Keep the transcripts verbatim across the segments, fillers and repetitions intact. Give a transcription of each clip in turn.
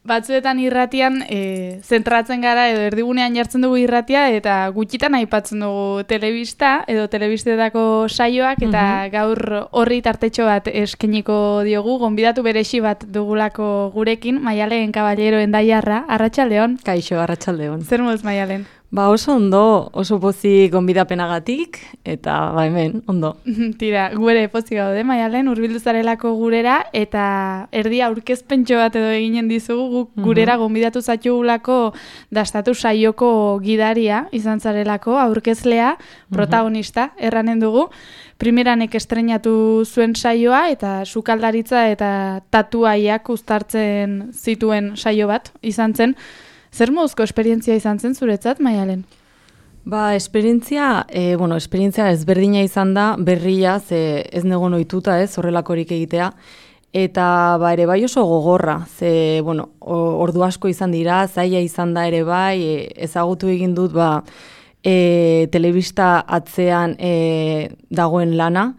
batzuetan irratian e, zentratzen gara edo erdigunean jartzen dugu irratia eta gutxitan aipatzen dugu telebista edo telebistetako saioak eta mm-hmm. gaur horri tartetxo bat eskeniko diogu, gonbidatu beresi bat dugulako gurekin, Maialen Caballero Endaiarra, arratsaldeon. Kaixo, arratsaldeon. Zer moduz, Maialen? Ba oso ondo, oso pozik gonbidapenagatik, eta ba hemen, ondo. Tira, gure pozik gaude, Maialen, hurbildu zarelako gurera, eta erdi aurkezpentxo bat edo eginen dizugu, guk gurera gonbidatu zaitugulako dastatu saioko gidaria, izan zarelako, aurkezlea, protagonista, erranen dugu. Primeranek estrenatu zuen saioa, eta sukaldaritza eta tatuaiak uztartzen zituen saio bat, izan zen. Zer moduzko esperientzia izan zen zuretzat, Maialen? Ba, esperientzia, e, bueno, esperientzia ezberdina izan da, berria, ze ez negon ohituta ez, horrelakorik egitea, eta ba, ere bai oso gogorra, ze, bueno, ordu asko izan dira, zaila izan da ere bai, e, ezagutu egin dut, ba, e, telebista atzean e, dagoen lana,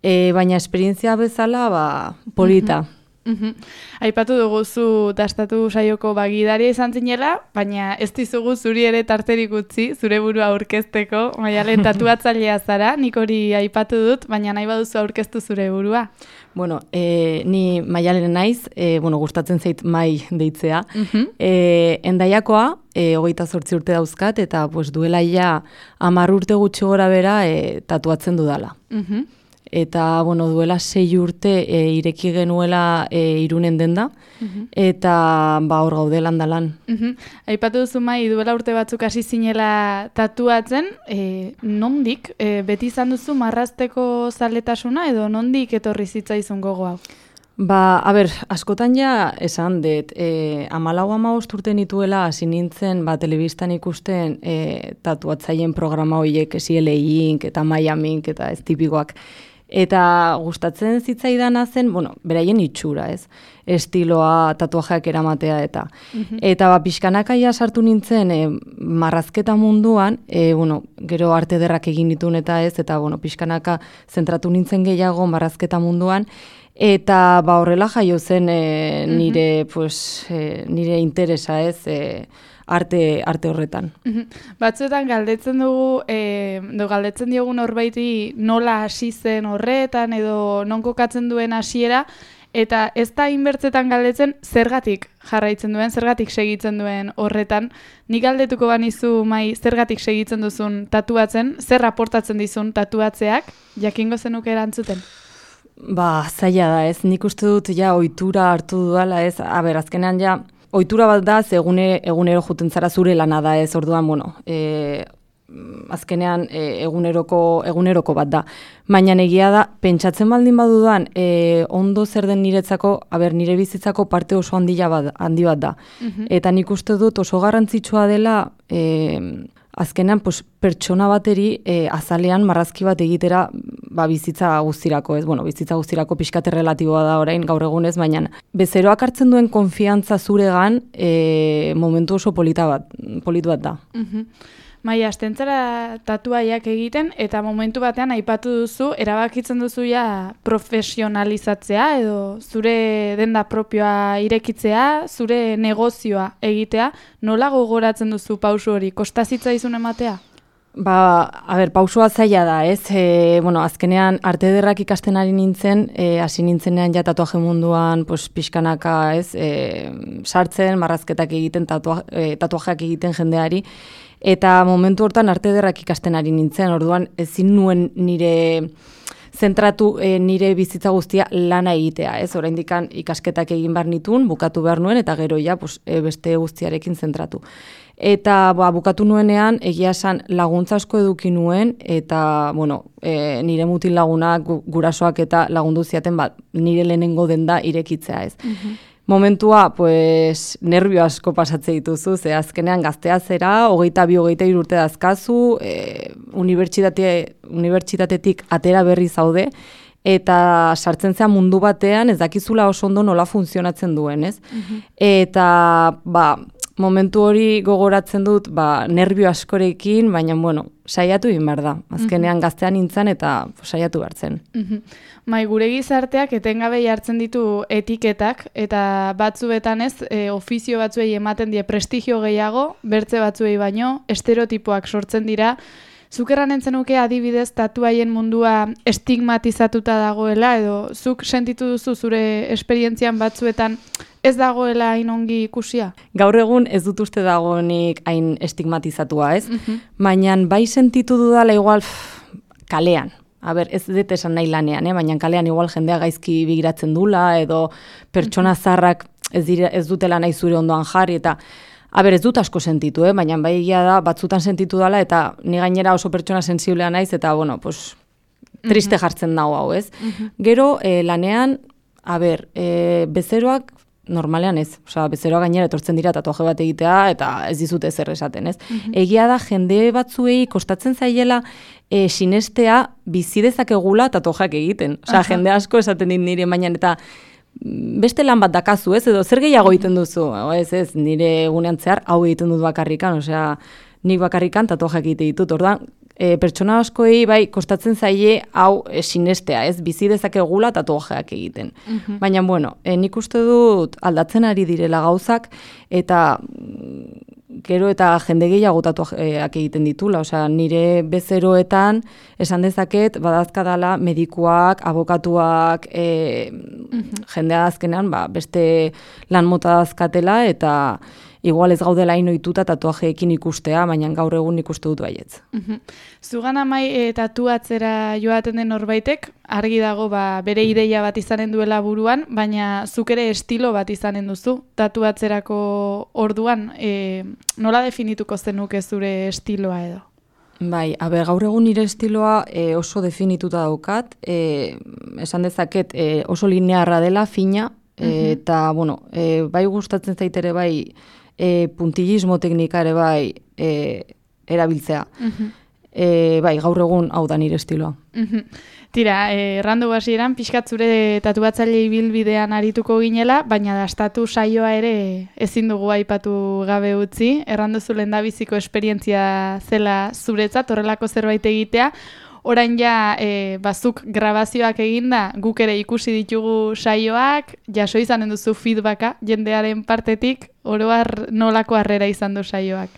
e, baina esperientzia bezala, ba, polita. Mm-hmm. Uhum. Aipatu dugu zu dastatu saioko bagidaria izan zinela, baina ez dizugu zuri ere tarterik utzi, zure burua aurkezteko, Maialen tatuatzailea zara, nik hori aipatu dut, baina nahi baduzu aurkeztu zure burua. Bueno, e, ni Maialen naiz, e, bueno, gustatzen zait Mai deitzea. Uh-huh. E, Endaiakoa, e, hogeita zortzi urte dauzkat, eta pues, duela ja hamar urte gutxi gora bera e, tatuatzen dudala. Uh-huh. Eta, bueno, duela sei urte e, ireki genuela e, Irunen denda, uh-huh. eta ba hor gaude landalan. Uh-huh. Aipatu duzu Mai, duela urte batzuk hasi zinela tatuatzen, e, nondik, e, beti izan duzu marrazteko zaletasuna edo nondik etorri zitzaizun gogo hau? Ba, a ber, askotan ja esan dut, e, amalau amabost urte nituela hasi nintzen, ba, telebistan ikusten e, tatuatzaien programa horiek, esi L A Ink eta Miami Ink eta ez tipikoak. Eta gustatzen zitzaidana zen, bueno, beraien itxura, ez? Estiloa, tatuajeak eramatea eta. Uh-huh. Eta ba, pixkanakaia sartu nintzen e, marrazketa munduan, e, bueno, gero arte ederrak egin ditun eta ez, eta bueno, pixkanaka zentratu nintzen gehiago marrazketa munduan, eta ba, horrela jaio zen e, nire, uh-huh. pues, e, nire interesa, ez, e, arte arte horretan. Batzuetan galdetzen dugu, e, do galdetzen diogu norbaiti nola hasi zen horretan edo non kokatzen duen hasiera, eta ez da inbertzetan galdetzen zergatik jarraitzen duen, zergatik segitzen duen horretan. Nik galdetuko banizu Mai zergatik segitzen duzun tatuatzen, zer aportatzen dizun tatuatzeak, jakingo zenuke erantzuten? Ba, zaila da ez, nik uste dut ja ohitura hartu dudala ez, a ber, azkenean ja, ohitura bat da, ze egune, egunero juten zara zure lana da ez, orduan, bueno, e, azkenean e, eguneroko, eguneroko bat da. Baina egia da, pentsatzen baldin badudan, e, ondo zer den niretzako, aber, nire bizitzako parte oso handia bat, handi bat da. Uh-huh. Eta nik uste dut oso garrantzitsua dela, e, azkenean pues, pertsona bateri e, azalean marrazki bat egitera ba, bizitza guztirako, ez? Bueno, bizitza guztirako pixkate relatiboa da orain gaur egunez, baina bezeroak hartzen duen konfiantza zuregan e, momentu oso polita bat, polit bat da. Uh-huh. Maia, astentzara tatuaiak egiten eta momentu batean aipatu duzu, erabakitzen duzu ja profesionalizatzea edo zure denda propioa irekitzea, zure negozioa egitea, nola gogoratzen duzu pausu hori, kosta zitzaizun ematea? Ba, a ber, pausua zaila da, ez? E, bueno, azkenean arte ederrak ikasten ari nintzen, e, hasi nintzenean ja tatuaje munduan, pues, pixkanaka, ez? E, sartzen, marrazketak egiten, tatua, e, tatuajeak egiten jendeari, eta momentu hortan arte ederrak ikasten ari nintzen, orduan ezin nuen nire zentratu e, nire bizitza guztia lana egitea, ez? Oraindikan ikasketak egin behar nituen, bukatu behar nuen, eta gero ja, pues, e, beste guztiarekin zentratu. Eta ba, bukatu nuenean, egia esan laguntza asko eduki nuen, eta bueno, e, nire mutil lagunak, gurasoak eta lagundu ziaten bat, nire lehenengo denda irekitzea ez. Uh-huh. Momentua, pues, nervio asko pasatze dituzu, ze azkenean gaztea zera, hogeita bi, hogeita hiru urte dazkazu, e, unibertsitate, unibertsitatetik atera berri zaude, eta sartzen zea mundu batean ez dakizula oso ondo nola funtzionatzen duen, ez? Uh-huh. Eta, ba, momentu hori gogoratzen dut, ba, nervio askorekin, baina, bueno, saiatu egin behar da. Azkenean gaztean nintzen eta saiatu behar zen. Mai, gure gizarteak etengabe jartzen ditu etiketak, eta batzuetan ez, e, ofizio batzuei ematen die prestigio gehiago, bertze batzuei baino, estereotipoak sortzen dira. Zuk erranen zenuke adibidez tatuaien mundua estigmatizatuta dagoela, edo zuk sentitu duzu zure esperientzian batzuetan ez dagoela hain ongi ikusia? Gaur egun ez dut uste dagoenik hain estigmatizatua, ez? Baina bai sentitu dudala igual pff, kalean. A ber, ez dut esan nahi lanean, eh? Baina kalean igual jendea gaizki begiratzen dula, edo pertsona zarrak ez, dire, ez dutela nahi zure ondoan jarri, eta a ber, ez dut asko sentitu, eh? Baina bai egia da, batzutan sentitu dela, eta ni gainera oso pertsona sensiblea naiz, eta bueno, pues, triste jartzen dago hau, ez? Gero, eh, lanean, a ber, eh, bezeroak normalean ez, osea, bezeroa gainera etortzen dira tatuaje bat egitea eta ez dizute ezer esaten, ez? Mm-hmm. Egia da jende batzuei kostatzen zaiela e, sinestea bizi dezakegula tatuajeak egiten. Osea, jende asko esaten dit nire baina eta beste lan bat dakazu, ez? Edo zer gehiago egiten duzu? Ez, ez, nire egunean zehar hau egiten dut bakarrikan, osea, nik bakarrikan tatuajeak egite ditut. Orduan, E, pertsona askoei bai kostatzen zaie hau e, sinestea, ez bizi dezakegula tatuajeak egiten. Mm-hmm. Baina bueno, e, nik uste dut aldatzen ari direla gauzak eta gero eta jende gehiago tatuajeak egiten ditula, osea nire bezeroetan esan dezaket badazkadala medikuak, abokatuak, e, mm-hmm. jendea azkenean ba, beste lan mota dazkatela eta igual ez gaudela hain ohituta tatuajeekin ikustea, baina gaur egun ikuste dut baietz. Uh-huh. Zugan amai e, tatuatzera joaten den norbaitek, argi dago ba, bere ideia bat izanen duela buruan, baina zuk ere estilo bat izanen duzu tatuatzerako orduan. E, nola definituko zenuke zure estiloa edo? Bai, aber, gaur egun nire estiloa e, oso definituta daukat, e, esan dezaket e, oso linearra dela, fina, e, uh-huh. eta, bueno, e, bai gustatzen zaitere bai, E, puntillismo teknika ere bai e, erabiltzea. Uh-huh. E, bai, gaur egun hau da nire estiloa. Uh-huh. Tira, errandu e, hasieran pixkat zure tatuatzaile ibilbidean arituko ginela, baina dastatu saioa ere ezin dugu aipatu gabe utzi. Errandu zu lehendabiziko esperientzia zela zuretzat, horrelako zerbait egitea. Orain ja, e, bazuk grabazioak eginda, guk ere ikusi ditugu saioak, jaso izanen duzu feedbacka jendearen partetik, oro har nolako harrera izan du saioak?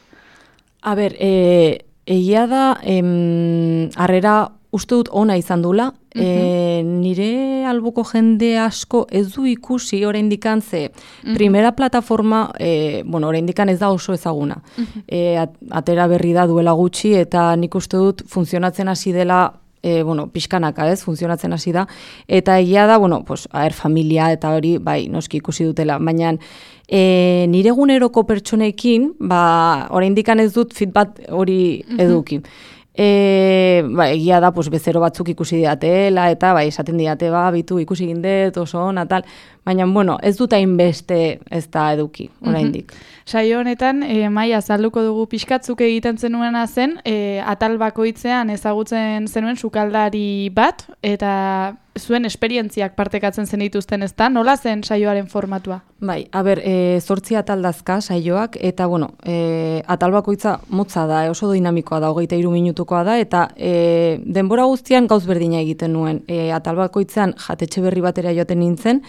A ber, e, egia da, em, harrera uste dut ona izan dula, uh-huh. e, nire albuko jende asko ez du ikusi oraindik ze uh-huh. primera plataforma, e, bueno, oraindik ez da oso ezaguna. Uh-huh. E, at, atera berri da duela gutxi eta nik uste dut funtzionatzen hasi dela E, bueno, pixkanaka, ez, funtzionatzen hasi da, eta egia da, bueno, pues, aher, familia eta hori, bai, noski ikusi dutela, baina e, nire eguneroko pertsonekin, ba, oraindik ez dut feedback hori eduki. E, ba, egia da, pues, bezero batzuk ikusi diatela, eta bai, esaten diate, ba, bitu ikusi gindet, oso ona, tal, baina, bueno, ez dut hainbeste ez da eduki, oraindik. Mm-hmm. Saio honetan, e, Mai, azalduko dugu pixkatzuk egiten zenuena zen, e, atal bakoitzean ezagutzen zenuen sukaldari bat, eta zuen esperientziak partekatzen zen dituzten, ezta? Nola zen saioaren formatua? Bai, a ber, e, zortzi atal dazka saioak, eta, bueno, e, atal bakoitza motza da, e, oso dinamikoa da, hogeita hiru minutukoa da, eta e, denbora guztian gauz berdina egiten nuen. E, atal bakoitzean jatetxe berri batera joaten nintzen,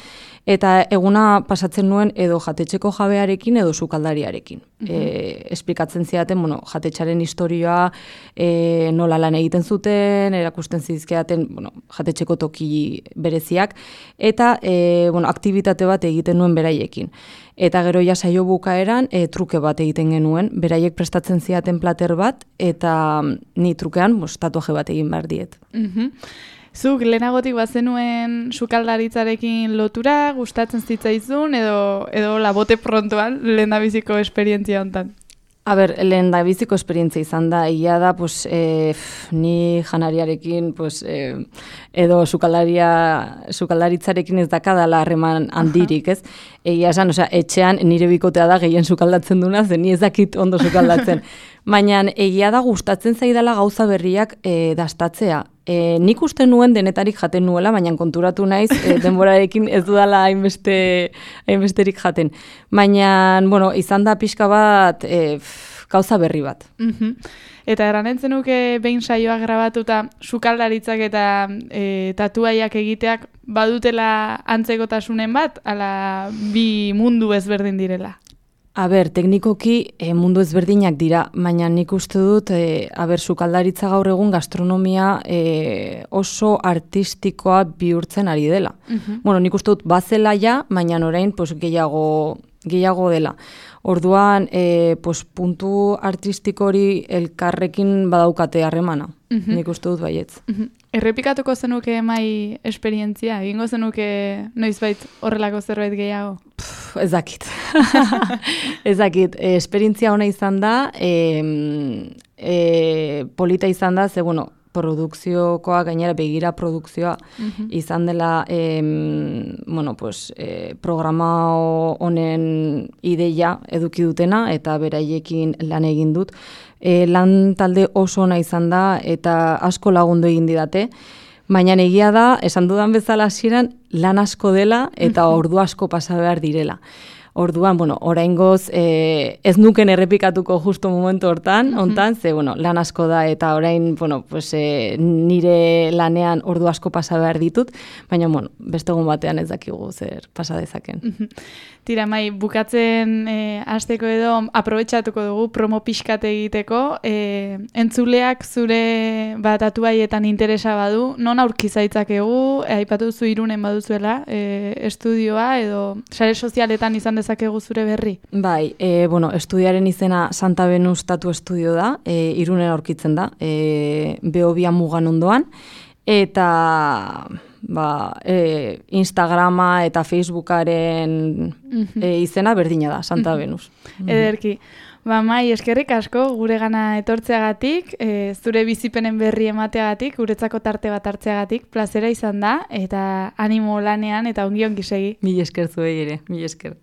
eta eguna pasatzen nuen edo jatetxeko jabearekin edo sukaldariarekin. Uh-huh. E, esplikatzen zidaten, bueno, jatetxaren historioa, e, nola lan egiten zuten, erakusten zizkidaten, bueno, jatetxeko toki bereziak, eta e, bueno, aktibitate bat egiten nuen beraiekin. Eta gero ja saio bukaeran e, truke bat egiten genuen, beraiek prestatzen zidaten plater bat, eta ni trukean pues, tatuaje bat egin behar diet. Uh-huh. Zuk lehenagotik bazenuen sukaldaritzarekin lotura, gustatzen zitzaizun, edo, edo labote prontoan lehendabiziko esperientzia hontan? A ber, lehendabiziko esperientzia izan da, egia da, pues, e, ni janariarekin, pues, e, edo sukaldaria, sukaldaritzarekin ez dakadala harreman handirik, ez? Egia esan, osea, etxean nire bikotea da gehien sukaldatzen duna, zen ni ez dakit ondo sukaldatzen. Baina egia da gustatzen zaidala gauza berriak e, dastatzea. E, nik uste nuen denetarik jaten nuela, baina konturatu naiz e, denborarekin ez dudala hainbeste, hainbesterik jaten. Baina, bueno, izan da pixka bat e, pff, gauza berri bat. Mm-hmm. Eta eranetzen nuke behin saioa grabatuta sukaldaritzak eta e, tatuaiak egiteak badutela antzekotasunen bat, ala bi mundu ezberdin direla? A ber, teknikoki e, mundu ezberdinak dira, baina nik uste dut, e, a ber, sukaldaritza gaur egun gastronomia e, oso artistikoa bihurtzen ari dela. Uh-huh. Bueno, nik uste dut bazela ja, baina orain pues, gehiago, gehiago dela. Orduan, e, pues, puntu artistiko hori elkarrekin badaukate harremana. Uh-huh. Nik uste dut baietz. Uh-huh. Errepikatuko zenuke mai esperientzia? Egingo zenuke noizbait horrelako zerbait gehiago? Pff, ez dakit. ez dakit. E, esperientzia ona izan da, e, e, polita izan da, ze, bueno, produkziokoa, gainera begira produkzioa uh-huh. izan dela em, bueno, pues, e, programa honen ideia eduki dutena eta beraiekin lan egin dut. E, lan talde oso ona izan da eta asko lagundu egin didate, baina egia da, esan dudan bezala hasieran lan asko dela eta ordu asko pasa behar direla. Orduan, bueno, oraingoz eh, ez nuken errepikatuko justo momentu hortan, hontan, ze, bueno, lan asko da eta orain, bueno, pues, eh, nire lanean ordu asko pasa behar ditut, baina, bueno, beste egun batean ez dakigu zer pasa dezaken. Tira, mai, bukatzen eh, hasteko edo aprobetxatuko dugu promo pixkat egiteko, eh, entzuleak zure bat tatuaietan interesa badu, non aurki zaitzakegu, eh, aipatu zu Irunen baduzuela, eh, estudioa edo sare sozialetan izan dezakegu zure berri? Bai, e, bueno, estudiaren izena Santa Venus Tatu Estudio da, e, Irunen aurkitzen da, e, Behobia mugan ondoan, eta ba, e, Instagrama eta Facebookaren mm-hmm. e, izena berdina da, Santa mm-hmm. Venus. Mm-hmm. Ederki. Ba, Mai, eskerrik asko gure gana etortzeagatik, e, zure bizipenen berri emateagatik, guretzako tarte bat hartzeagatik, plazera izan da, eta animo lanean eta ongi ongi segi. Mil esker zuei ere, mil esker.